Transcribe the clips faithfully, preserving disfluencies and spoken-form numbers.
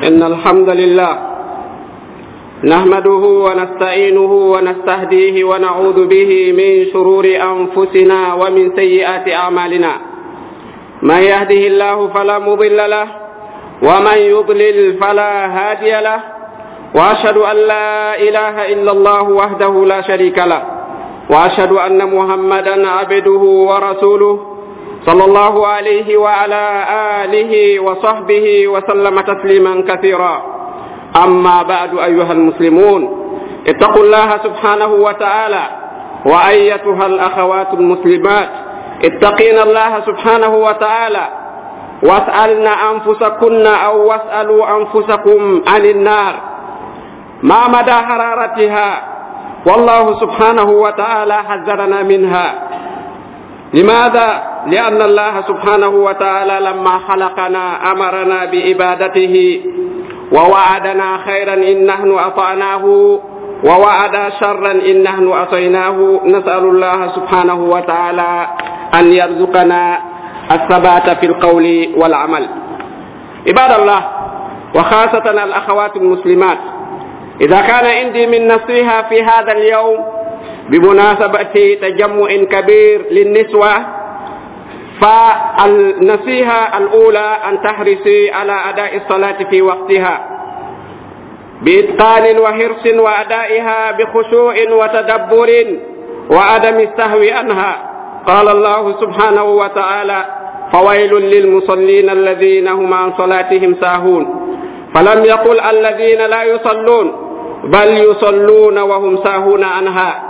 إن الحمد لله نحمده ونستعينه ونستهديه ونعوذ به من شرور أنفسنا ومن سيئات أعمالنا. من يهده الله فلا مضل له ومن يضلل فلا هادي له، وأشهد أن لا إله إلا الله وحده لا شريك له، وأشهد أن محمدا عبده ورسوله صلى الله عليه وعلى آله وصحبه وسلم تسليما كثيرا. أما بعد، أيها المسلمون، اتقوا الله سبحانه وتعالى، وأيتها الأخوات المسلمات اتقين الله سبحانه وتعالى، واسألن أنفسكن أو واسألوا أنفسكم عن النار، ما مدى حرارتها؟ والله سبحانه وتعالى حذرنا منها. لماذا؟ لأن الله سبحانه وتعالى لما خلقنا أمرنا بعبادته، ووعدنا خيرا إن نحن أطعناه، ووعد شرا إن نحن عصيناه. نسأل الله سبحانه وتعالى أن يرزقنا الثبات في القول والعمل. عباد الله، وخاصة الأخوات المسلمات، إذا كان عندي من نصيحة في هذا اليوم بمناسبة تجمع كبير للنسوة، فالنصيحة الأولى أن تحرصي على أداء الصلاة في وقتها بإتقان وحرص، وأدائها بخشوع وتدبر وعدم السهو عنها. قال الله سبحانه وتعالى: فويل للمصلين الذين هم عن صلاتهم ساهون. فلم يقل الذين لا يصلون، بل يصلون وهم ساهون عنها.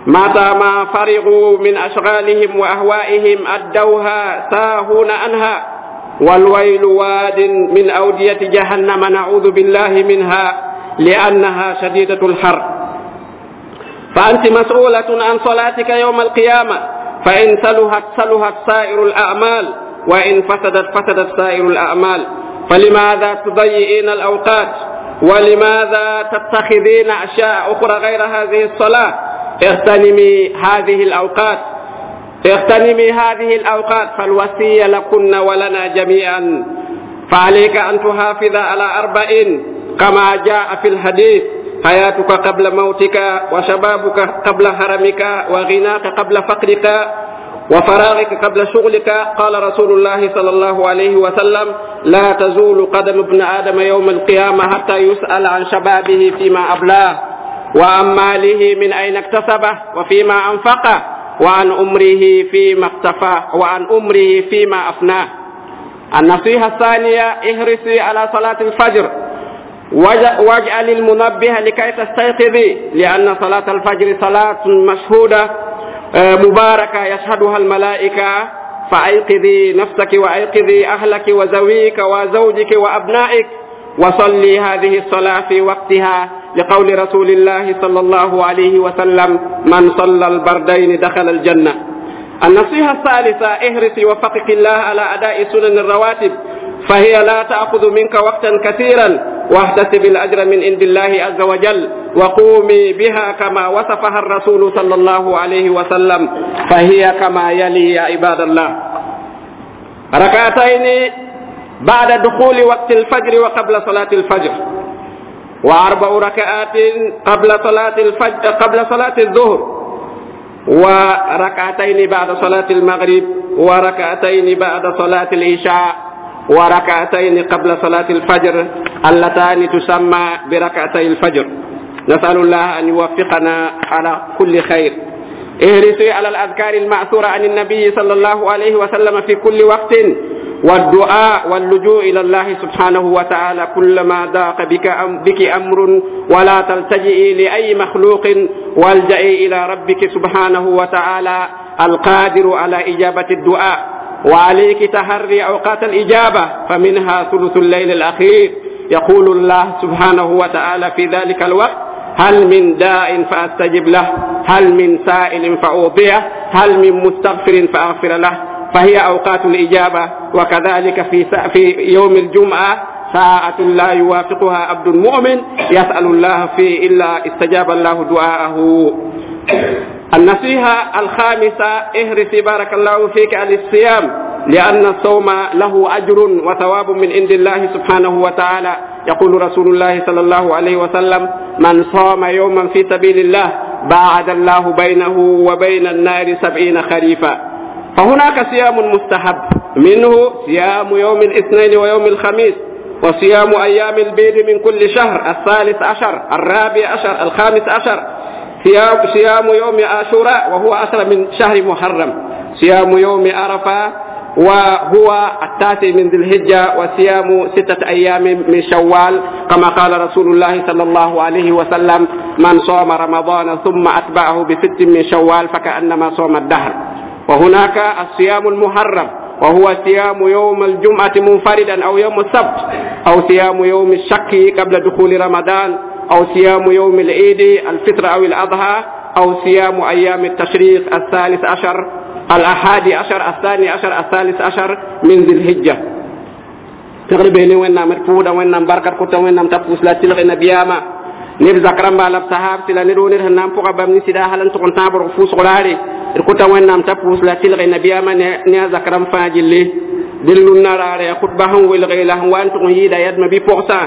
متى ما فرغوا من أشغالهم وأهوائهم أدوها ساهون عنها. والويل واد من أودية جهنم، نعوذ بالله منها، لأنها شديدة الحر. فأنت مسؤولة عن صلاتك يوم القيامة، فإن سلهت سلهت سائر الأعمال، وإن فسدت فسدت سائر الأعمال. فلماذا تضيئين الأوقات؟ ولماذا تتخذين أشياء أخرى غير هذه الصلاة؟ اغتنمي هذه الأوقات، اغتنمي هذه الأوقات، فالوصية لكن ولنا جميعا. فعليك أن تحافظ على أربع كما جاء في الحديث: حياتك قبل موتك، وشبابك قبل هرمك، وغناك قبل فقرك، وفراغك قبل شغلك. قال رسول الله صلى الله عليه وسلم: لا تزول قدم ابن آدم يوم القيامة حتى يسأل عن شبابه فيما أبلاه، وعن ماله من أين اكتسبه وفيما أنفقه، وعن أمره فيما اقتفاه، وعن أمره فيما أفناه. النصيحة الثانية: احرصي على صلاة الفجر، واجعل المنبه لكي تستيقظي، لأن صلاة الفجر صلاة مشهودة مباركة يشهدها الملائكة. فأيقظي نفسك وأيقظي أهلك وزويك وزوجك وأبنائك، وصلي هذه الصلاة في وقتها، لقول رسول الله صلى الله عليه وسلم: من صلى البردين دخل الجنة. النصيحة الثالثة: احرصي وفقك الله على أداء سنن الرواتب، فهي لا تأخذ منك وقتا كثيرا، واحتسب الأجر من عند الله عز وجل، وقومي بها كما وصفها الرسول صلى الله عليه وسلم، فهي كما يلي يا عباد الله: ركعتين بعد دخول وقت الفجر وقبل صلاة الفجر، وأربع ركعات قبل صلاة الفجر قبل صلاة الظهر، وركعتين بعد صلاة المغرب، وركعتين بعد صلاة العشاء، وركعتين قبل صلاة الفجر اللتان تسمى بركعتي الفجر. نسأل الله أن يوفقنا على كل خير. احرصي على الأذكار المأثورة عن النبي صلى الله عليه وسلم في كل وقت، والدعاء واللجوء إلى الله سبحانه وتعالى كلما ضاق بك, أم بك أمر، ولا تلتجئي لأي مخلوق، والجئي إلى ربك سبحانه وتعالى القادر على إجابة الدعاء. وعليك تحري أوقات الإجابة، فمنها ثلث الليل الأخير. يقول الله سبحانه وتعالى في ذلك الوقت: هل من داء فأستجب له، هل من سائل فأعطيه، هل من مستغفر فأغفر له. فهي أوقات الإجابة. وكذلك في في يوم الجمعة ساعة لا يوافقها عبد مؤمن يسأل الله فيه إلا استجاب الله دعاءه. النصيحة الخامسة: احرصي بارك الله فيك على الصيام، لأن الصوم له أجر وثواب من عند الله سبحانه وتعالى. يقول رسول الله صلى الله عليه وسلم: من صام يوما في سبيل الله باعد الله بينه وبين النار سبعين خريفا. فهناك صيام مستحب، منه صيام يوم الاثنين ويوم الخميس، وصيام أيام البيض من كل شهر، الثالث عشر، الرابع عشر، الخامس عشر، صيام, صيام يوم عاشوراء وهو عشر من شهر محرم، صيام يوم عرفة وهو التاسع من ذي الحجة، وصيام ستة أيام من شوال، كما قال رسول الله صلى الله عليه وسلم: من صام رمضان ثم أتبعه بست من شوال فكأنما صام الدهر. وهناك الصيام المحرم، وهو صيام يوم الجمعة منفردا أو يوم السبت، أو صيام يوم الشك قبل دخول رمضان، أو صيام يوم العيد الفطر أو الأضحى، أو صيام أيام التشريق الثالث عشر، الأحادي عشر، الثاني عشر، الثالث عشر من ذي الحجة. تقريبا وين نام فودا وين نام بركة كتا وين نام تفوس لا تلغي نبياما نب زكرم بالب صحاب سلا ندون نام فوق بام نسيدا هلن تكون تابر فوس غراري كتا وين نام تفوس لا تلغي نبياما نيا زكرم فاجلي دلنا نرى خطبهم والغيله وان تكون يدا يد ما بي بورسا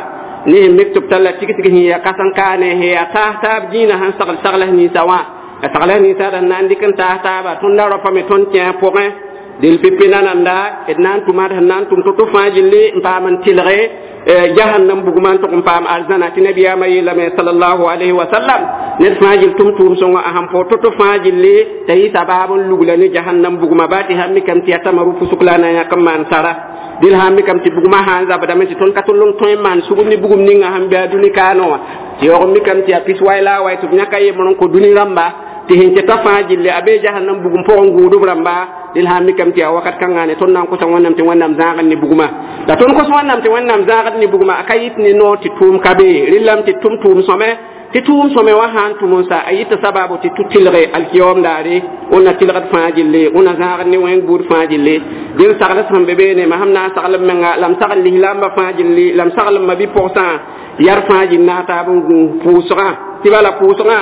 ne mektub talla tigi tigi hiya kasan kane hiya ta tab dina han sagal sagal ni sawa sagal ni sa dan nan dikan ta ta ba tun da rofa me ton tien point dil pipina nanda et nan tumar nan tum to to fajilli pa man tilre jahannam bugman to pam alzana ti nabiya mai la me sallallahu alaihi wa sallam ne fajil tum tum so aham po to to fajilli tayi sababun lugla ni jahannam bugma bati hammi kam ti atamaru fusuklana ya kam man sara dil hammi kam ti bugma han zabada men ton katulung toy man sugum ni bugum ni nga ham be aduni kano ti yomi kam ti apis wayla way to nyaka ye mon ko duni ramba ti hin ta fajilli abe jahannam bugum po ngudu ramba dil hammi kam ti wakat kangane ton nan ko tan wonnam ti wonnam zaagat ni buguma la ton ko wonnam ti wonnam zaagat ni buguma akayit ni no ti tum kabe rillam ti tum tum some ti tum some wa han tumun sa ayita sababu ti tutilre alkiyom dare ona tilgat fajilli ona zaagat ni wen bur fajilli dil sagla sam bebe ne ma hamna sagla menga lam sagal li lam fajilli lam sagal ma bi pourcent yar fajil na ta bu pusra ti bala pusra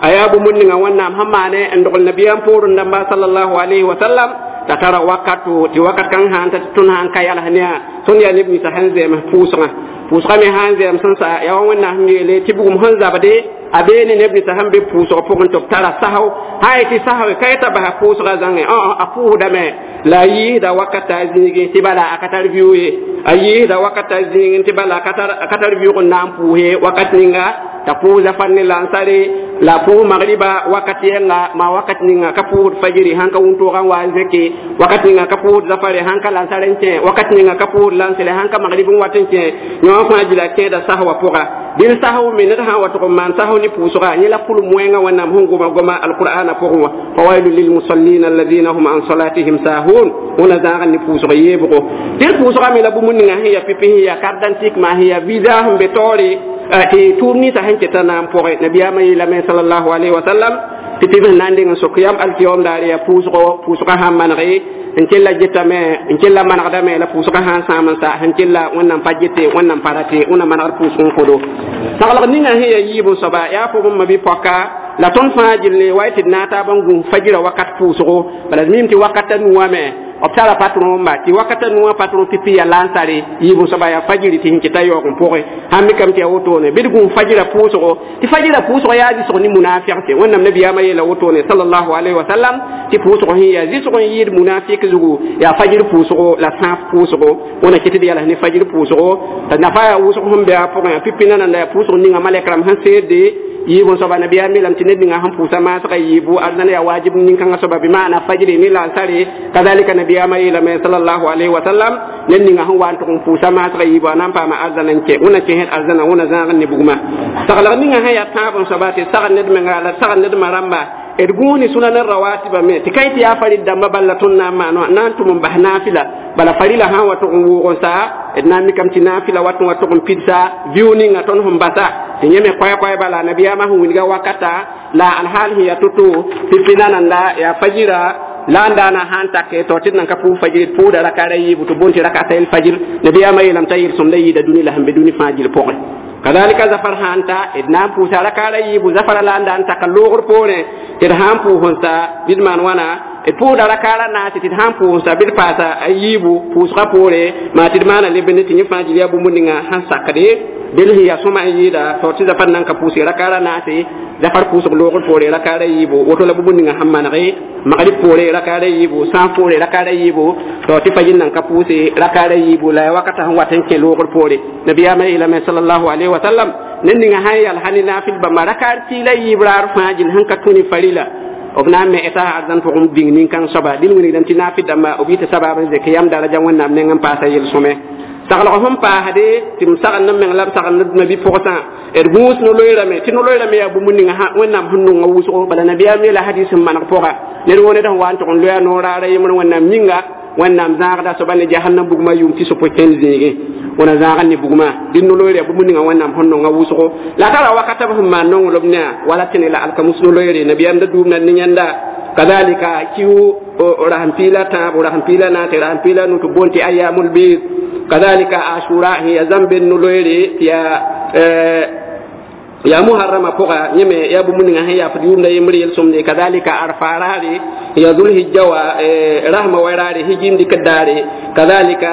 ayabu mun nga wannam hammane en dogol nabiyam poru ndamba sallallahu alaihi wa sallam ta tara wakatu ti wakat kan han ta tun han kay alhaniya tun ya libni sa hanze ma pusra pusra mi hanze am san sa ya wonna hamle ti bugum hanza bade abeni nebni sa hambe pusra pogon to tara sahaw hay ti sahaw kay ta ba pusra zange o a puhuda me la yi da wakata zingi ti bala akatar viwe ayi da wakata zingi ti bala akatar akatar viwe nam puhe wakat ninga ta puza fanni lansare la pu magriba wakati nga ma wakati ninga ka pu fajiri hanka wunto kan wa zeki wakati ninga ka pu zafare hanka lansare nche wakati ninga ka pu lansele hanka magribun watin che nyo fa jila ke da sahwa puga dil sahwu min ha wa to man sahwu ni pusuga ni la pul moenga wanam hungu ma goma alqur'ana puga fawailu lil musallin alladhina hum an salatihim sahun ona zaga ni pusuga yebgo dil pusuga mi la bu mun ninga hiya pipi hiya kardantik ma hiya visa hum betori ti tumni sa hanke tanam poxe nabiyama yilame sallallahu alaihi wa sallam ti tibin nandi ngan sokiyam alkiyom dari ya pusgo pusgo ha mangi nkella jetame nkella managdame la pusgo ha saman sa hankella wannan pajete wannan parate wannan managar pusgo kodo sagalak ninga hiya yibu soba ya fo mabi poka la ton fajil wayti nata bangu fajira wakat pusgo bala mimti wakata nuwame obtara patron ma ti wakata nuwa patron pipi ya lansare yibu soba ya fajiri ti hinkita yo ko poxe hammi kam ti awotone bidgu fajira pusgo ti fajira pusgo ya ji so ni munafiq te wonnam nabi ya maye la wotone sallallahu alaihi wasallam ti pusgo hi ya ji so yid munafiq zugu ya fajir pusgo la saf pusgo wona kitidi yala ni fajir pusgo ta nafa ya wuso hum be apoxe pipi nana la pusgo ni ngamalekram han sede yibu soba nabi ya milam tined nga ham pusa ma saka yibu arzana ya wajib nin kan soba bi maana fajri ni lansare kadhalika nabi ya mai lam sallallahu alaihi wa sallam nen nga ham wan to pusa ma saka yibu anan pa ma arzana ke una ke het arzana una zan ni buguma sagala ni nga ya tabon soba te sagal ned menga la sagal ned maramba erguni sunan rawatiba me tikaiti ya farid damba balla tunna ma no nan tum bah nafila bala farila ha wato wugon sa edna mi kam ti nafila wato wato pizza viewni nga ton hum basa ti nyeme koy koy bala nabiya ma hu winga wakata la alhal hiya tutu pipina nanda ya fajira La n daana sãn take to tɩ d nan ka pʋʋs fajir d pʋʋda rakaara yiibu tɩ boond tɩ rakata el fajir. Nabiyaamã yeelame t'a yel-sõmda yɩɩda dũni la sẽn be dũni fãa gill pʋgẽ. Kadalika zafar sãn ta, d na n pʋʋsa rakaara yiibu zafara la n da n taka loogr poorẽ tɩ d sãn pʋʋs n sa bɩ d maan wãna, d pʋʋda rakaara naase tɩ d sãn pʋʋs n sa bɩ d paasa a yiibu pʋʋsgã poore maa tɩ d maana lebende tɩ yẽ fãa gil yaa bũmb ninga sẽn sakde del sẽn yaa sõma n yɩɩda tao tɩ zafar nan ka pʋʋse rakaara naase zafar pʋʋsg loogr poore rakaara yiibu woto la bũmb ninga sẽn manege magrib poore rakaara yiibu sãn poore rakaara yiibu to tɩ fajir nan ka pʋʋse rakaara yiibu la ya wakata sẽn wat n kẽ loogr poore. Nabiyaamã yeelame sallallahu alayhi wa sallam ned ninga sãn yal sã ne naafɩl bãmba rakaar tɩɩla yiib raar fãa gil sẽn ka tũ ne farila b na n me eta arzãn pʋgẽ bĩng nin-kãng soaba dĩn wilgdame tɩ naafɩ dãmba b yɩta sabaab n zek yam daraja Wẽnnaam neng n paasa yel-sõme. Saglg sẽn paasde tɩ m sagend n meng la m sagend d mabi-pʋgsã d gũus no-loeerame tɩ no-loeerame yaa bũmb ninga Wẽnnaam sẽn nonga wʋsgo. Bala nabiyaam yeela hadis sẽn maneg pʋga ned woo ned sẽn wa n tʋg n loya noor raara yembr Wẽnnaam yĩnga Wẽnnaam zãagda soaba ne jahannam bugmã yʋʋm tɩ sopʋ kẽnd zĩigẽ wẽna zãag ne bugmã dɩ no-loeer yaa bũmb ninga Wẽnnaam sẽn nonga wʋsgo la tara wakata b sẽn maan nonglem ne wala tẽne la alkamus no-loeere nabiyaam da duumda ne yẽnda. Kadalika kiu rasem piila tãabo rasem piila naase rasem piila nu tɩ boond tɩ ayamul bid. Kadalika ashura sẽn yaa zãmben no-loeere tɩ yaa yaa muharrama pʋga yẽ me yaa bũmb ninga sẽn yaafd yʋʋmda yembr yel-sõmde. Kadalika arfa raare yaa zulhijja wa rasma wa raare hijim dɩkd daare. Kadalika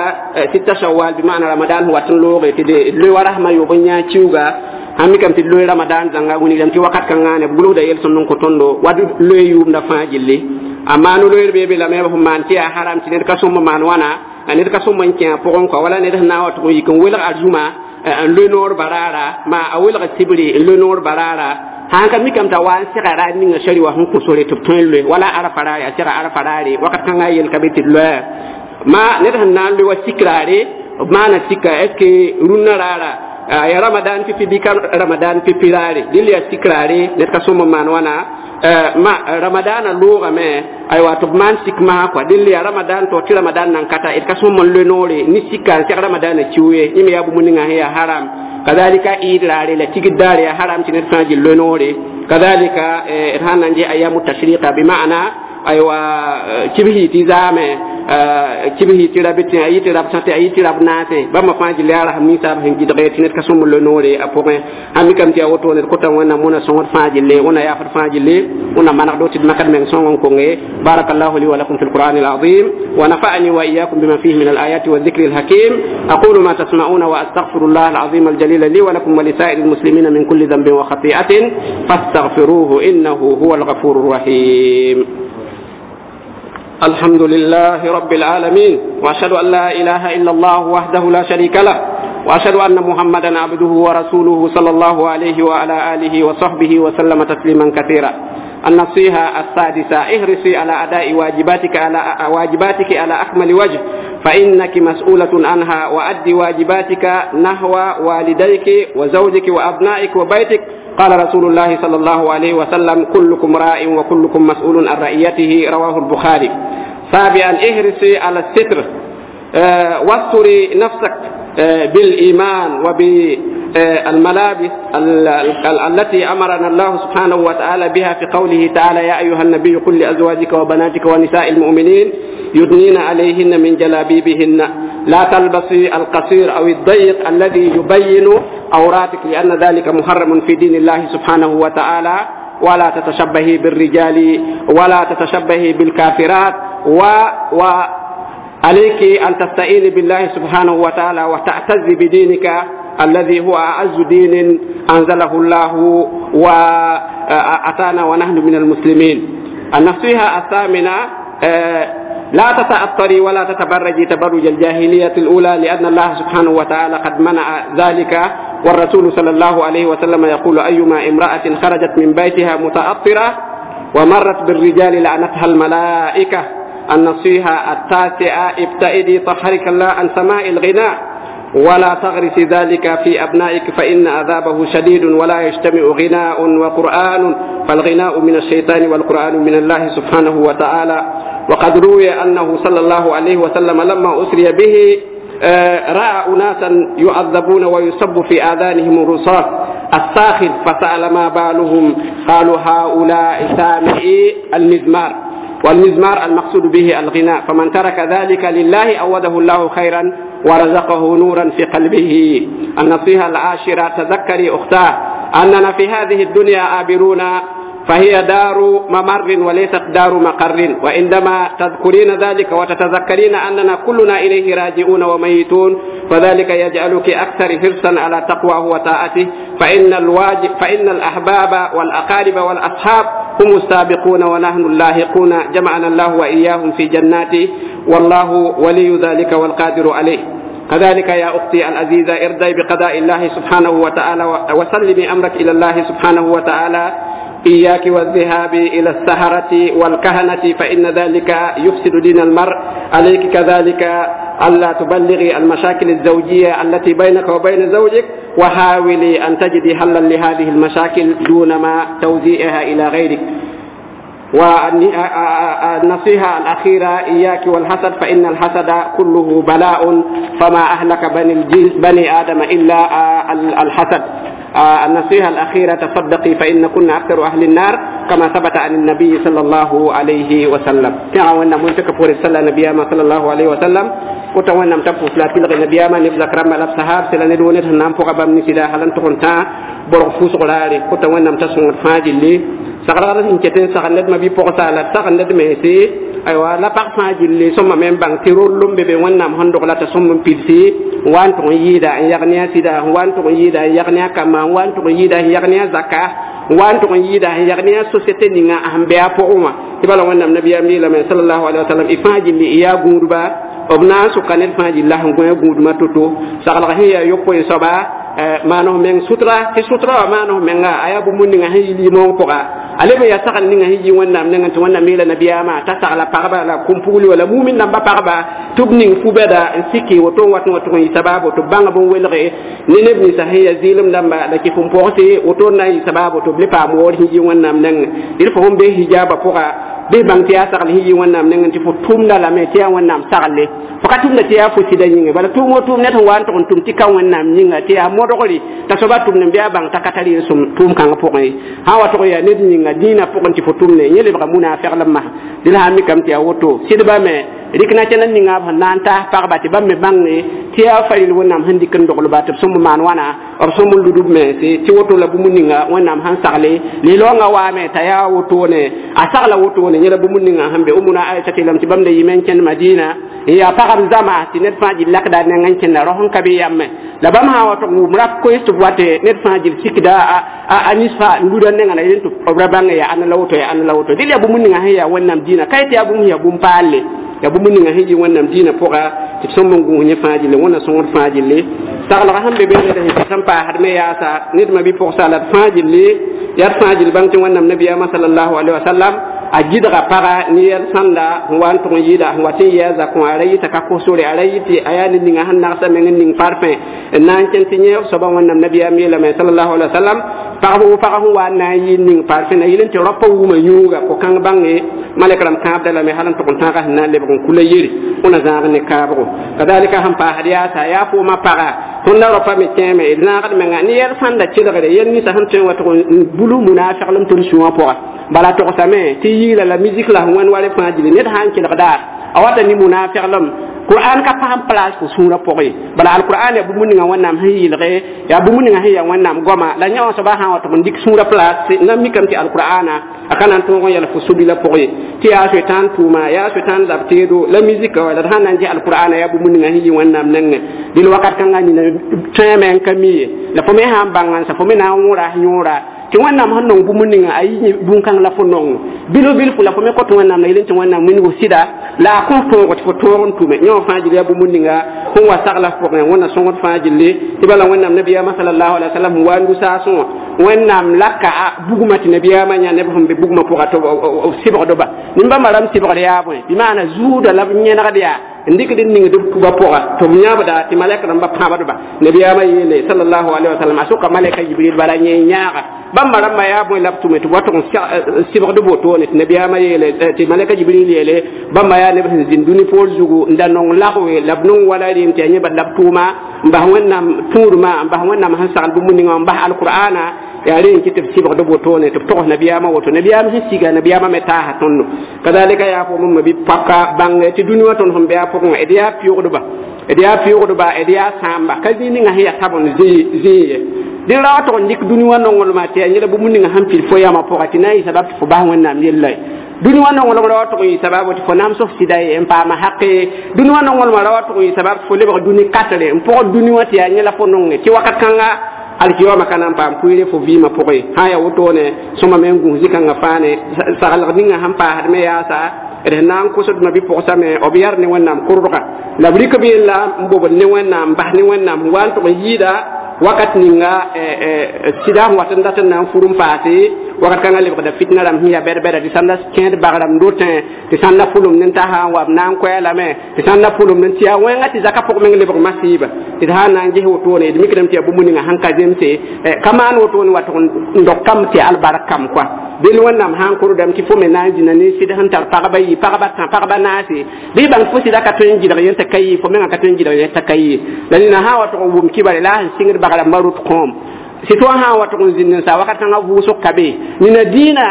sita shawal bi maana ramadan sẽn wat n looge tɩ d loe wa rasma yoob n yã kiuga sãn mikame tɩ d loe ramadan zãnga wilgdame tɩ wakat kãngã ne b gʋlsda yel-sõmd n kõ tõndo wa d loe yʋʋmda fãa gilli. Amma no-loeer bee be lame b sẽn maan tɩ yaa haram tɩ ned ka sõm n maan wãna ned ka sõm n kẽ a pʋgẽ kɔa wala ned sẽn na n wa tʋg n yik n welg arzũma n loe noor baraara ma a welg sibri n loe noor baraara sãn ka mikame t'a wa n sega raar ninga sari wa sẽn kõ sore tɩ b tõe n loe wala arafa raare a sega arafa raare wakat kãngã yel ka be tɩ d loɛa ma ned sẽn na n loe wa sik raare b maana sika est ce que rũnnã raara ya ramadan pipi bɩ ka ramadan pipi raare dɩl yaa sik raare ned ka sõm n maan wãna ma ramadana loogame aywa tɩ b maan sik masã kɔa dẽl yaa ramadan to tɩ ramadan nan kata d ka sõm n loe noore ne sika n seg ramadana kiu ye yẽ me yaa bũmb ninga sẽn yaa haram. Kadalika iid raare la tigd daare yaa haram tɩ ned fãa gill loe noore. Kadalika d sãn na n ges ayamu tashriqa bi maana aywa kibsi tɩ zaame kibsi tɩ rab tɩ a yɩ tɩ rab sãte a yɩ tɩ rab naase bãmba fãa gill yaa rasem ninsaab sẽn gɩdge tɩ ned ka sõm n loe noore a pʋgẽ. Sãn mikame tɩ yaa woto ned kota Wẽnnaam wẽna sõngd fãa gille wẽna yaafd fãa gille wẽna manegdo tɩ d makd meng sõng n konge. Barakallahu li wa lakum fi lquran alazim wa nafa'ani wa iyyakum bima fihi min alayati والذكر الحكيم. أقول ما تسمعون وأستغفر الله العظيم الجليل لي ولكم ولسائر المسلمين من كل ذنب وخطيئة فاستغفروه إنه هو الغفور الرحيم. الحمد لله رب العالمين وأشهد أن لا إله إلا الله وحده لا شريك له وأشهد أن محمدا عبده ورسوله صلى الله عليه وعلى آله وصحبه وسلم تسليما كثيرا. النصيحة السادسة: احرصي على أداء واجباتك على واجباتك على أكمل وجه فإنك مسؤولة عنها، وأدي واجباتك نحو والديك وزوجك وأبنائك وبيتك. قال رسول الله صلى الله عليه وسلم: كلكم راع وكلكم مسؤول عن رعيته. رواه البخاري. سابعا: احرصي على الستر، أه واستري نفسك أه بالإيمان وبالملابس التي أمرنا الله سبحانه وتعالى بها في قوله تعالى: يا أيها النبي قل لأزواجك وبناتك ونساء المؤمنين يدنين عليهن من جلابيبهن. لا تلبسي القصير أو الضيق الذي يبين عوراتك لأن ذلك محرم في دين الله سبحانه وتعالى. ولا تتشبهي بالرجال ولا تتشبهي بالكافرات، و, و عليك أن تستعيني بالله سبحانه وتعالى وتعتزي بدينك الذي هو أعز دين أنزله الله وأتانا ونحن من المسلمين. النصيحة الثامنة: لا تتأثري ولا تتبرجي تبرج الجاهلية الأولى لأن الله سبحانه وتعالى قد منع ذلك، والرسول صلى الله عليه وسلم يقول: أيما امرأة خرجت من بيتها متأثرة ومرت بالرجال لعنتها الملائكة. النصيحة التاسعة: ابتعدي طهرك الله عن سماء الغناء ولا تغرسي ذلك في أبنائك فإن عذابه شديد، ولا يجتمع غناء وقرآن، فالغناء من الشيطان والقرآن من الله سبحانه وتعالى. وقد روي أنه صلى الله عليه وسلم لما أسري به رأى أناسا يعذبون ويصب في آذانهم الرصاص الساخن، فسأل ما بالهم، قالوا هؤلاء سامعي المزمار. والمزمار المقصود به الغناء، فمن ترك ذلك لله أوده الله خيرا ورزقه نورا في قلبه. النصيحة العاشرة: تذكري أختاه أننا في هذه الدنيا عابرون، فهي دار ممر وليست دار مقر، وعندما تذكرين ذلك وتتذكرين أننا كلنا إليه راجعون وميتون، فذلك يجعلك أكثر حرصا على تقواه وطاعته، فإن الواجب فإن الأحباب والأقارب والأصحاب هم السابقون ونحن اللاحقون، جمعنا الله وإياهم في جناته، والله ولي ذلك والقادر عليه. كذلك يا أختي العزيزة ارضي بقضاء الله سبحانه وتعالى وسلمي أمرك إلى الله سبحانه وتعالى. إياك والذهاب إلى السهرة والكهنة، فإن ذلك يفسد دين المرء. عليك كذلك ألا تبلغي المشاكل الزوجية التي بينك وبين زوجك، وحاولي أن تجدي حلا لهذه المشاكل دون ما توزيعها إلى غيرك. والنصيحة الأخيرة: إياك والحسد، فإن الحسد كله بلاء، فما أهلك بني, الجنس بني آدم إلا الحسد. النصيحة الأخيرة: تصدقي فإن كنا أكثر أهل النار كما ثبت عن النبي صلى الله عليه وسلم. كما منتك فور صلى النبي صلى الله عليه وسلم وتوانا متفو فلاتي لغي النبي ما نبزك رمى لبسهاب سلا ندونت هنام فوق بام نسيدا هلن تخنتا برغ فوس غلاري وتوانا متسون فاجي اللي سغرغر إن كتن سغند ما بي بوغسا لا سغند ميسي أيوة لا بارفان جيلي سوما ميم بان تيرول لوم بيبي وانام هندوغ لا تسوم بيلسي وان تون يدا يغنيا سيدا وان تون يدا يغنيا كما وان تون يدا يغنيا زكا وان تون يدا يغنيا سوسيتي نيغا أهم بيا بوغما تبالا وانام نبي أمي لما صلى الله عليه وسلم إفان جيلي إيا غوربا obna su kanet fa jilla han goya guduma toto sagala hiya yoppo e soba mano men sutra ti sutra mano men ga aya bu mun nga hi mo ko ga ale be ya sagal ninga hiji wonnam nenga to wonna mila nabiyama ta sagala parba la kumpuli wala mumin namba parba tubning fubeda sikki woto watno to yi sababu to banga bon welre ni nebni sahiya zilim namba la ki fum porte woto na yi sababu to blepa mo wor hiji wonnam nenga il faut be hijaba poka be bang tiya sagal hiji wonnam nenga ti fo tumna la me tiya wonnam sagalle fo ka tumna tiya fo sida nyinga bala tumo tum net wan to tum ti kan wonnam nyinga tiya modogoli ta soba tumne biya bang takatari sum tum kan pokay ha wato ya ned nyinga dina pokon ti fo tumne nyele ba munafiq lamma dil ha mi kam tiya woto sidba me rikna chana ninga ba nanta parba ti bamme bangne tiya faril wonnam handi kan dogol ba to sum man wana or sum ludub me ti ti woto la bu muninga wonnam han sagle li longa wa me taya woto ne a sagla woto ne nyela bu muninga hambe umuna aisha lam ti bamde yimen ken madina ya pagam zama ti net faji lakda ne ngan ken rohon kabi yamme la bam ha wato mrap ko istu wate net faji sikda a anisfa ngudan ne ngana yentu obra bange ya an lawto ya an lawto dil ya bu muninga ya wonnam dina kayti ya bu ya bum palle ya bu muninga hiji wonnam dina poka ti sombo ngu nye faji le wona songo faji le sagla hambe be ne de sampa hadme ya sa nit ma bi pour salat faji le ya faji bang ti wonnam nabiyama sallallahu alaihi wasallam a gidga paga ni yɛl sãnda n wa n tʋg n yɩɩda n wa tɩ n yɛɛ zakõ a ra yɩta ka kosore a ra yɩ tɩ a yaa ne ninga sẽn nagsa meng n ning parfẽ n na n kẽn tɩ yẽ soaba wẽnnaam nabiyaam yeelame sallallahu alaihi wasallam pagb wo pag sẽn wa n na n yɩ ning parfẽ na yɩl n tɩ raopa wuma yũuga ko-kãng bãnge malɛk rãmb kãabda lame hal n tʋg n tãaga sẽn na n lebg n kula yere wẽna zãag ne kaabgo kadalika sẽn paasd yaasa yaa fooma paga tõnd la raopa me kẽeme d zãagd menga ne yɛl sãnda kelgre yɛl ninsã sẽn tõe n wa tʋg n bulu munafiglem tõnd sũwã pʋga bala togsame tɩ yiila la musique la wẽn wale fãa gilli ned sã n kelgda a wata ne munafiglem qur'an ka paam place fo sũurã pʋgẽ bala alqur'an ya bũmb ninga wẽnnaam sẽn yɩlge yaa bũmb ninga sẽn yaa wẽnnaam goama la yã wã soaba sã n wa tɩ n dɩk sũurã place na mikame tɩ alqur'ana a ka na n tõog n yɛl fo sobila pʋgẽ tɩ yaa soetãan tʋʋma yaa soetãan zab teedo la musique wa la d sãn na n dɩ alqur'ana yaa bũmb ninga sẽn yɩ wẽnnaam nengẽ dɩl wakat kãngã nina tõeme n ka mi ye la fo me sã n bãng n sa fo me na n wõra yõora tɩ wẽnnaam sẽn nong bũmb ninga a yi bũn-kãng la fo nong bilo bil fo la fo me kõt wẽnnaam la yel tɩ wẽnnaam wilg sɩda la a kõs tõogo tɩ fo tõog n tʋme yẽ wã fãa gil yaa bũmb ninga sẽn wa sagla pʋgẽ wẽnna sõngd fãa gilli tɩ bala wẽnnaam nabiyaamã salallahu alaihi wasallam sẽn wa n du-saasẽ wã wẽnnaam laka a bugmã tɩ nabiyaamã yã neb sẽn be bugmã pʋga tɩ b sɩbgdba nin-bãmba rãmb sɩbgd yaa bõe bɩ maana zuuda la b yẽnegd yaa n dɩkd n ningd b tuba pʋga tɩ b yãbda tɩ malɛk rãmba pãabdba nabiyaamã yeele salallahu alaihi wasallam a sʋka malɛka yibril bala yẽ yãaga bãmba rãmbã yaa bõe la b tʋme tɩ b wa tʋg n sɩbgd wotone tɩ nabiyaamã yeele tɩ malɛka jibril yeele bãmba yaa neb sẽn zĩnd dũni poor zugu n da nong lagwe la b nong wala rem tɩ yaa yẽ bad la b tʋʋma n bas wẽnnaam tũudmã n bas wẽnnaam sẽn sagl bũmb ninga n bas alqur'ana Yaa rẽ n kɩ tɩ b sɩbgd wotone tɩ b togs nabiyaamã woto nabiyaam sẽn siga nabiyaamã me taasa tõndo kazalika yaa fo ma bi paka bãng tɩ dũni wã tõnd sẽn be a pʋgẽ d yaa pɩʋgdba d yaa pɩʋgdba d yaa sãamba ka zĩig ninga sẽn yaa tabend zĩig ye dẽ ra wa tog n dɩk dũni wã nonglmã tɩ yaa yẽla bũmb ninga sẽn pid fo yamã pʋga tɩ na n yɩ sabab tɩ fo bas wẽnnaam yella ye dũni wã nonglem ra wa tʋg n yɩ sababu tɩ fo nams f sɩda ye n paama haqe dũni wã nonglmã ra wa tʋg n yɩ sabab tɩ fo lebg dũni katre n pʋgd dũni wã tɩ yaa yẽla fo nonge tɩ wakat kãnga alkiyama kana n paam kʋɩɩre fo vɩɩmã pʋgẽ sã n yaa wotone sõma me n gũs zĩ-kãngã fãa ne saglg ninga sẽn paasd me yaasa d sẽn na n kosd ma bɩ-pʋgsame b yar ne wẽnnaam kʋrdga la b rɩk b yella n bobd ne wẽnnaam n bas ne wẽnnaam sẽn wa n tʋg n yɩɩda wakat ninga sɩda sẽn wat n dat n na n fur n paase wakat kãngã lebgda fitna rãmb sẽn yaa bɛd-bɛda tɩ sãnda kẽed bag rãmb dotẽ tɩ sãnda pʋlem ne tasa n wa b na n koɛɛ lame tɩ sãnda pʋlem n tɩ yaa wẽnga tɩ zaka pʋg meng lebg masɩɩba tɩ d sã n na n ges wotone d mikdame tɩ yaa bũmb ninga sẽn ka zemse ka maan wotone wa tʋg n dog kam tɩ albark kam koa del wẽnnaam sã n kʋrdame tɩ fo me na n zĩna ne sɩd sẽn tar pagba yi pagba tã pagba naase bɩ bãng fo sɩda ka tõe n gɩdg yẽ t'a ka yɩ fo mengã ka tõe n gɩdg yẽ t'a ka yɩ la nina sã n wa tʋg n wʋm kibare la a sẽn sɩngd bag rãmbã rot kõom sɩ tõa sã n wa tʋg n zĩnd n sa wakat kãngã vʋʋsg ka be nina dĩinã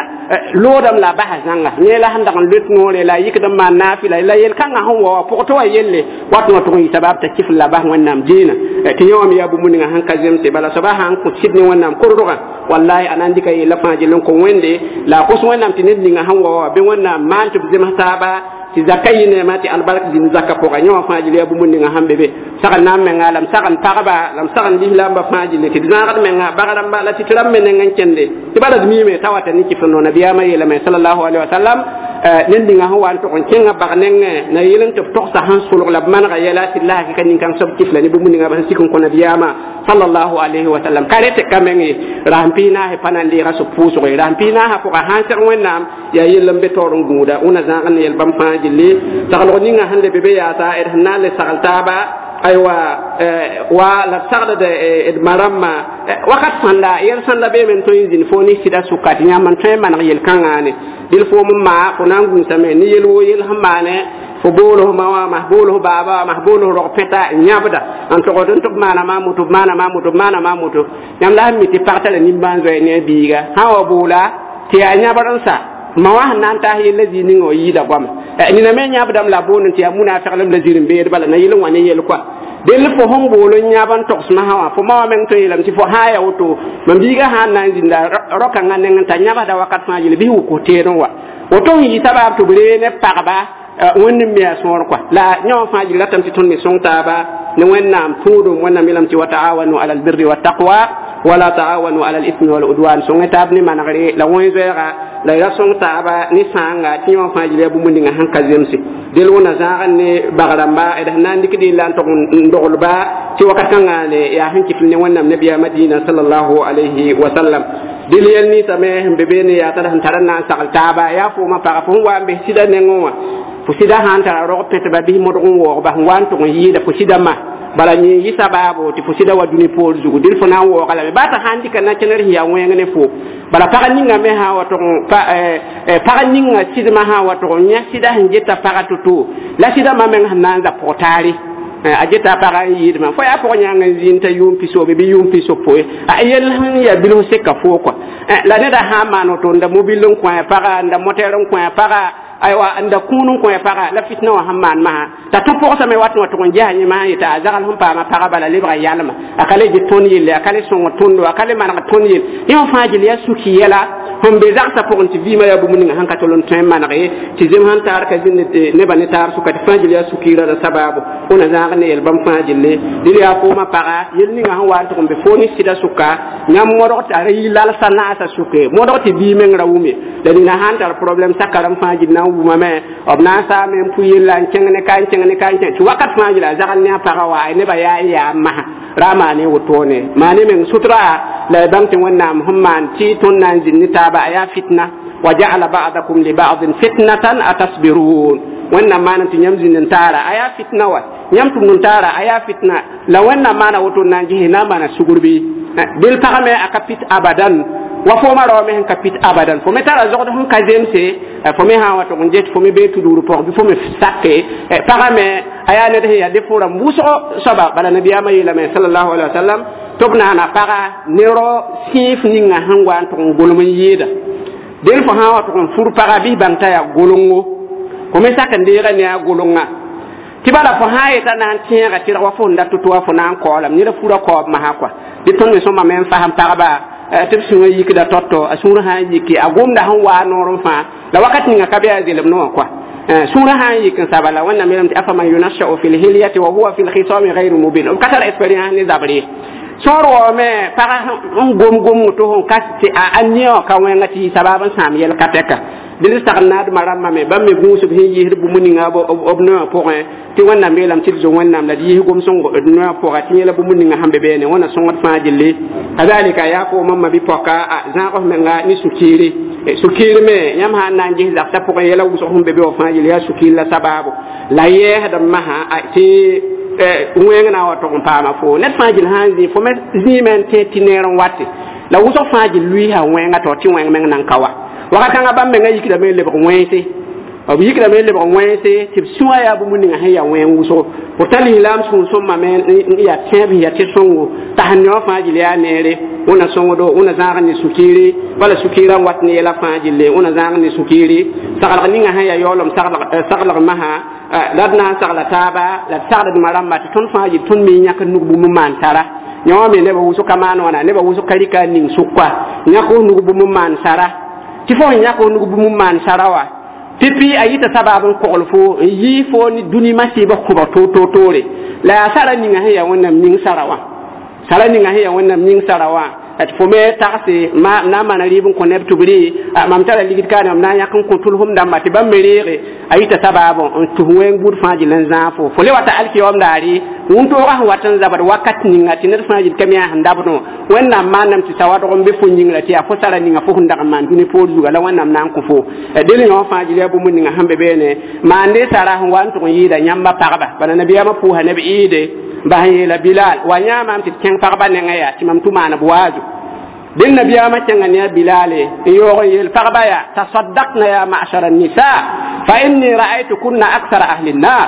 loodame la a basa zãnga yẽ la sẽn dag n loet noore la a yikd n maan naafɩla la yel-kãngã sẽn wa wa pʋgtɩ wa yelle wat wã tʋg n yɩ sabab t'a kɩf la bas wẽnnaam dĩinã tɩ yẽ wã me yaa bũmb ninga sẽn ka zemse bala soaba sã n kõ sɩd ne wẽnnaam kordgã wallahi a na n dɩka yella fãa gill n kõ wẽnde la a kos wẽnnaam tɩ ned ninga sẽn wa wa bɩ wẽnnaam maan tɩ b zems taaba tɩ zaka yɩ neema tɩ albark zĩnd zakã pʋga yẽ wã fãa gill yaa bũmb ninga sẽn be be sagn na n menga la m sagn pagba la m sagn lislaambã fãa gilli tɩ d zãagd menga bag rãmba la tɩ tɩ rãmb me neng n kẽnde tɩ bala d miime t'a wata ne kɩf n no nabiyaamã yeelame salallahu alaihi wa sallam ned ninga sẽn wa n tʋg n kẽngã bag nengẽ na yel n tɩ b togsa sẽn solg la b manega yɛla tɩ d la hakɩka nin-kãng soab kɩfla ne bũmb ninga sẽn sik n kõ nabiyaamã sallallahu alaihi wa sallam ka rete ka meng ye rasem pis naase pa na n deega sob pʋʋsg ye rasem pis naasã pʋga sã n seg wẽnnaam yaa yell n be taoor n gũuda wẽna zãag n yel bãmb fãa gilli saglg ninga sẽn le be be yaasa d sẽn na n le sagl taaba aywa wa la sagld d ma rãmbã wakat sãnda yɛl sãnda beeme n tõe n zĩnd fo ne sɩda sʋka tɩ yãmb n tõe n maneg yel-kãngã ne dɩl foom n maa fo na n gũusame ne yel woo yel sẽn maane fo bool f ma wã mas bool f baaba wã mas bool f rog pẽta n yãbda n togd n tɩ b maana maa moto b maana maa moto b maana maa moto yãmb la sẽn mi tɩ pag tara nimbãan-zoɛɛ ne a biiga sã wa boola tɩ yaa yãbr n sa ma wã sẽn na n taas yella zĩig ninga wa yɩɩda goama nina me yãbdame la boond tɩ yaa munafɩglem la zir n beed bala na yel n wã ne yel koa del fo sẽn bool n yãb n togs masã wã fo ma wã meng tõe n yeelame tɩ fo sã n yaa woto mam biigã sã n na n zĩnda rao-kãngã neng n t'a yãbsda wakat fãa yel bɩ wʋk teedẽ wa woto sẽn yɩ sabaab tɩ b ree ne pagba wẽnd n me a sõor kɔa la yẽ wã fãa gil ratame tɩ tõnd me sõng taaba ne wẽnnaam tũudum wẽnnaam yeelame tɩ wa taawanu ala albirri wattaqwa wala taawanu ala alithmi waludwan sõng taab ne manegre la wẽn-zoɛɛga la y ra sõng taaba ne sãanga tɩ yẽ wã fãa gil yaa bũmb ninga sẽn ka zemse del wẽna zãag ne bag rãmba d sẽn na n dɩkd yella n tog n doglba tɩ wakat kãngã ne yaa sẽn kɩf ne wẽnnaam nabiyaamã dĩinã salallahu alayhi wa sallam del yɛl ninsame sẽn be beene yaa t'a sẽn tar n na n sagl taaba yaa foomã paga fo sẽn wa n bes sɩda nengẽ wã fo sɩda sã n tara rog pẽtba bɩ modg n waoogba sẽn wa n tʋg n yɩɩda fo sɩda ma bala yẽ yɩ sabaabo tɩ fo sɩda wa dũni poor zugu dɩl fo na n waooga lame baa t'a sã n dɩka na kẽner sẽn yaa wẽng ne fo bala pag ninga me sã wa tʋg pag ninga sɩdmã sã wa tʋg n yã sɩda sẽn geta paga to-to la sɩda ma meng sẽn na n za pʋg-taare a geta paga n yɩɩdmã fo yaa pʋg yãng n zĩnd t'a yʋʋm pisobe bɩ yʋʋm pisopoe a yell sẽn yaa bilf seka foo kɔa la neda sã n maan woto n da mobil n kõ a paga n da motɛr n kõ a paga aywa n da kũun n kõ a paga la fitna wã sẽn maan masã t'a tõ pʋgsame wat n wa tʋg n ges yẽ masã yeta a zagl sẽn paama paga bala lebga yalma a ka le get tõnd yelle a ka le sõng tõndo a ka le maneg tõnd yell yẽ wã fãa gil yaa suki yɛla sẽn be zagsã pʋgẽ tɩ vɩɩmã yaa bũmb ninga sẽn ka tol n tõe n maneg ye tɩ zem sẽn taar ka zĩnd nebã ne taar sʋka tɩ fãa gil yaa sukiirã la sabaabo wẽna zãag ne yel bãmb fãa gille dɩl yaa foomã paga yel ninga sẽn wa n tʋg n be foo ne sɩda sʋka yãmb modg tɩ a ra yɩ lalsã naasã sʋke modg tɩ bii meng ra wʋme la nina sã n tar problɛm sakarem fãa gil na n wʋmame b na n saame n pʋ yella n kẽng ne ka n kẽng ne ka n kẽng tɩ wakat fãa gila a zagl ne a pagã wa nebã yaa n yaa masã ra maane wotone maane meng sutra la y bãng tɩ wẽnnaam sẽn maan tɩ tõnd na n zĩnd ne taaba a yaa fitna wa ja'ala ba'dakum li ba'din fitnatan atasbirun wẽnnaam maana tɩ yãmb zĩnd n taara a yaa fitna wa yãmb tʋmd n taara a yaa fitna la wẽnnaam maana woto n na n ges na n maana sugr bɩ del pagame a ka pit abadan wa fooma rao me sẽn ka pit abadan fo me tara zogd sẽn ka zemse fo me sã n wa tʋg n get fo me bee tudgr pʋg bɩ fo me sake pagame a yaa ned sẽn yaa dɩ fo rãmb wʋsgo soaba bala nabiyaamã yeelame salallahu alaihi wa sallam Tɩ b naana paga ne rao sẽef ninga sẽn wa n tʋg n golem n yɩɩda del fo sã n wa tʋg n fur paga bɩ bãng t'a yaa golengo fo me sak n deega ne a golenga tɩ bala fo sã n yeta na n tẽega tɩrg wa fo n dat tɩ wa fo na n kaoolame ned fura kaoob masã kɔa dɩ tõnd me sõma me n fasem pagba tɩ b sũurã yikda tɔtɔ a sũurã sã n yiki a gomda sẽn waa noor n fãa la wakat ninga ka be a zelem no wã kɔa sũurã sã n yik n saba la wẽnnaam yeelame tɩ afaman yunashau fi lhilyati wa huwa fi lkhisami gayru mubin b ka tar expérience ne zabr ye sõor waoome pag n gom gomg tɩ fõn ka tɩ a nia wã ka wẽnga tɩ yɩ sabab n sãam yɛl ka tɛka dẽnd sagl naadmã rãmbã me bãmb me gũusb sẽn yiisd bũmb ninga b noyã pʋgẽ tɩ wẽnnaam yeelame tɩ d zo wẽnnaam la d yiis gom-sõng d noyã pʋga tɩ yẽla bũmb ninga sẽn be beene wẽna sõngd fãa gilli kazalika yaa koomã ma bɩ-pɔka zãag f menga ne sũ-kiiri sũ-kiir me yãmb sã n na n ges zagsã pʋgẽ yɛla wʋsg sẽn be be wã fãa yel yaa sũ-kiir la sabaabo la yɛɛsdm masã tɩ wẽng na n wa tʋg n paama fo ned fãa gil sã n zĩ fo me zĩime n tẽ tɩ neer n wate la wʋsg fãa gil luiisa wẽnga tao tɩ wẽng meng nan ka wa wakat kãngã bãmb menga yikdame n lebg wẽnse b yikdame n lebg wẽnse tɩ b sũwã yaa bũmb ninga sẽn yaa wẽng wʋsgo pourtant lislaam sũur-sõmbame n yaa tẽeb sẽn yaa tɩ sõngo t'a sẽn ne wã fãa gil yaa neere wẽna sõngdo wẽna zãag ne sũ-kiiri bala sũ-kiirã n wat ne yɛla fãa gille wẽna zãag ne sũ-kiiri saglg ninga sẽn yaa yaoolem saglg masã la d na n sagla taaba la d sagldmã rãmba tɩ tõnd fãa yɩ tõnd me yãk nug bũmb n maan tara yã wã me nebã wʋsg ka maan wãna nebã wʋsg ka rɩka n ning sʋka yãk f nug bũmb n maan sara tɩ fo sẽn yãk f nug bũmb n maan sara wa pipi a yita sabab n kogl fo n yɩ fo ne dũni masɩɩbã kʋbg toor-toor-toore la yaa sara ninga sẽn yaa wẽnnaam ning sara wã sara ninga sẽn yaa wẽnnaam ning sara wã tɩ fo me tagse na n maana rɩɩb n kõ neb tɩ b rɩ mam tara ligd kaane mam na n yãk n kõ tʋlsem dãmba tɩ bãmb me reege a yita sabaabõ n tus wẽng buud fãa gil n zãag fo fo le wata alkiyaoom daare wũntooga sẽn wat n zabd wakat ninga tɩ ned fãa gil ka me yaa sẽn dabdẽ wẽnnaam maaname tɩ sawadg n be fo yĩngra tɩ yaa fo sara ninga fo sẽn dag n maan dũni poor zuga la wẽnnaam na n kõ fo del yõ fãa gil yaa bũmb ninga sẽn be beene maande sara sẽn wa n tʋg n yɩɩda yãmba pagba bala nabiyaamã pʋʋsa neb ɩɩde bas n yeela bilal wa yãamam tɩ d kẽng pagba nengã yaa tɩ mam tʋ maan b waazo del nabiyaamã kẽnga ne a bilale n yaoog n yeel pagba yaa tasaddaqna ya ma'shara nisa fa inni ra'aytukunna akthara ahli nnar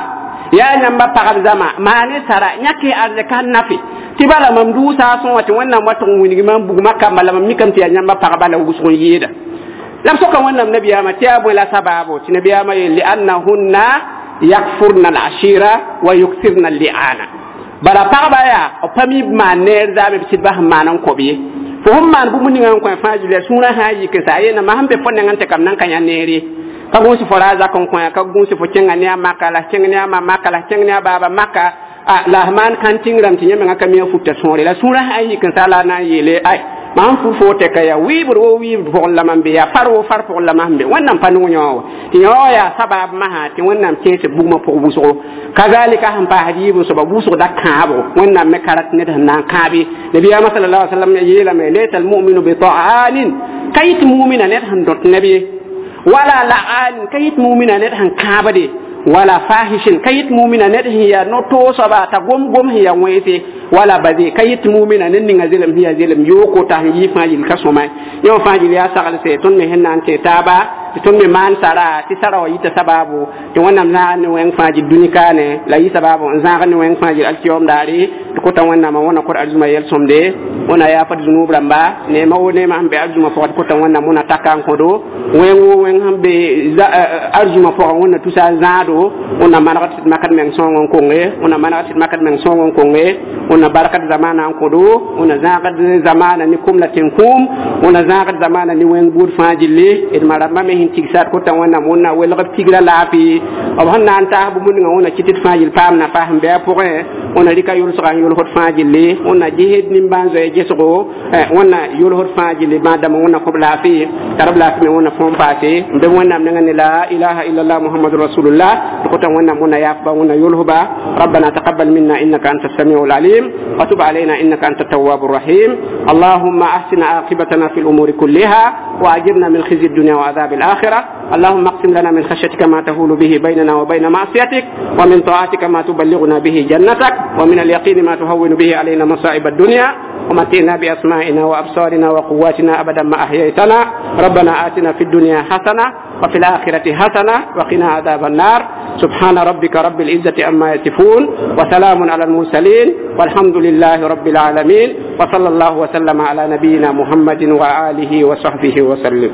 yaa yãmba pagb zãma maane sara yãke arzɛka n nafe tɩ bala mam duusa sõa tɩ wẽnnaam wa tʋg n wilg mam bugmã kamba la mam mikame tɩ yaa yãmba pagba la wʋsg n yɩɩda la b soka wẽnnaam nabiyaamã tɩ yaa bõe la sabaabo tɩ nabiyaamã yeel liannahunna yakfurna alashira wa yukthirna alli'ana bala pagba yaa b pa mi maan neer zaame b sɩd bas n maan n kõb ye fo sẽn maan bũmb ninga n kõ fãa gilya sũurã sã n yik n sa a yeelame sẽn be fo nengẽ tɩ kam nan ka yã neer ye ka gũus fo ra zak n kõ ka gũus fo kẽnga ne a maka la kẽng ne a ma maka la kẽng ne a baaba maka la f maan kãn tĩngrãmb tɩ yẽ menga ka mi a futa sõore la sũurã sã n yik n sa la a na n yeele ay mam fu fo tɛka yaa wɩɩbd wo wɩɩbd pʋgẽ la mam be yaa far wo far pʋgẽ la mam be wẽnnaam pa nog yõ wa tɩ yõ yaa sabab masã tɩ wẽnnaam kẽes bugmã pʋg wʋsgo kazalika sẽn paasd yiib n soaba wʋsg da kãabo wẽnnaam me ka rat ned sẽn na n kãabe nabiyaamã sala alai wasallam yeelame laysa almuminu bita'anin ka yɩt mumina ned sẽn dõt neb ye wala la'anin ka yɩt mumina ned sẽn kãabde wala fahishin ka yɩt mumina ned sẽn yaa no-toosaba t'a gom-gom sẽn yaa wẽnse wala baze ka yɩt mumina ned ninga zelem sẽn yaa zelem yooko t'a sẽn yɩ fãa yel ka sõma yẽ wã fãa gil yaa saglse tõnd me sẽn na n tẽ taaba tɩ tõnd me maan sara tɩ sara wã yita sabaabo tɩ wẽnnaam zãag ne wẽng fãa gil dũni kaane la yɩ sabaabo n zãag ne wẽng fãa gil alkiyaoom daare tɩ kota wẽnnaamã wẽna kor arzũma yɛl-sõmde wẽna yaafd zunub rãmba neema wo neema sẽn be arzũma pʋgã tɩ kota wẽnnaam wẽna taka n kõdo wẽng wo wẽng sẽn be arzũma pʋgã wẽnna tusa n zãado wẽna maneg tɩ d makd meng sõng n konge wẽna maneg tɩ d makd meng sõng n konge wẽna barkat zamana n kõdo wẽna zãagd zamana ne kum la tẽn-kũum wẽna zãagd zamana ne wẽng buud fãa gilli d ma rãmbã me sẽn tigsa d kota wẽnnaam wẽnna welg b tigra laafɩ b sẽn na n taas bũmb ninga wẽna kɩt d fãa gill paam na paas n bɩ a pʋgẽ wẽna rɩka yʋlsga n yʋlsd fãa gilli wẽna gesd nimbãan-zoɛɛ gesgo wẽna yʋlsd fãa gilli bãad-dãmbã wẽna kõb laafɩ tara b laafɩ me wẽna fõom paase n be wẽnnaam nengã ne la ilaha illallah muhammadu rasulullah tɩ kota wẽnnaam wẽna yaafba wẽna yʋlsba ربنا تقبل منا إنك أنت السميع العليم وتب علينا إنك أنت التواب الرحيم اللهم أحسن عاقبتنا في الأمور كلها وأجرنا من خزي الدنيا وعذاب الآخرة اللهم اقسم لنا من خشيتك ما تهول به بيننا وبين معصيتك ومن طاعتك ما تبلغنا به جنتك ومن اليقين ما تهون به علينا مصائب الدنيا ومتعنا بأسمائنا وأبصارنا وقواتنا أبدا ما أحييتنا ربنا آتنا في الدنيا حسنة وفي الآخرة حسنة وقنا عذاب النار سبحان ربك رب العزة عما يصفون وسلام على المرسلين والحمد لله رب العالمين. وصلى الله وسلم على نبينا محمد وآله وصحبه وسلم.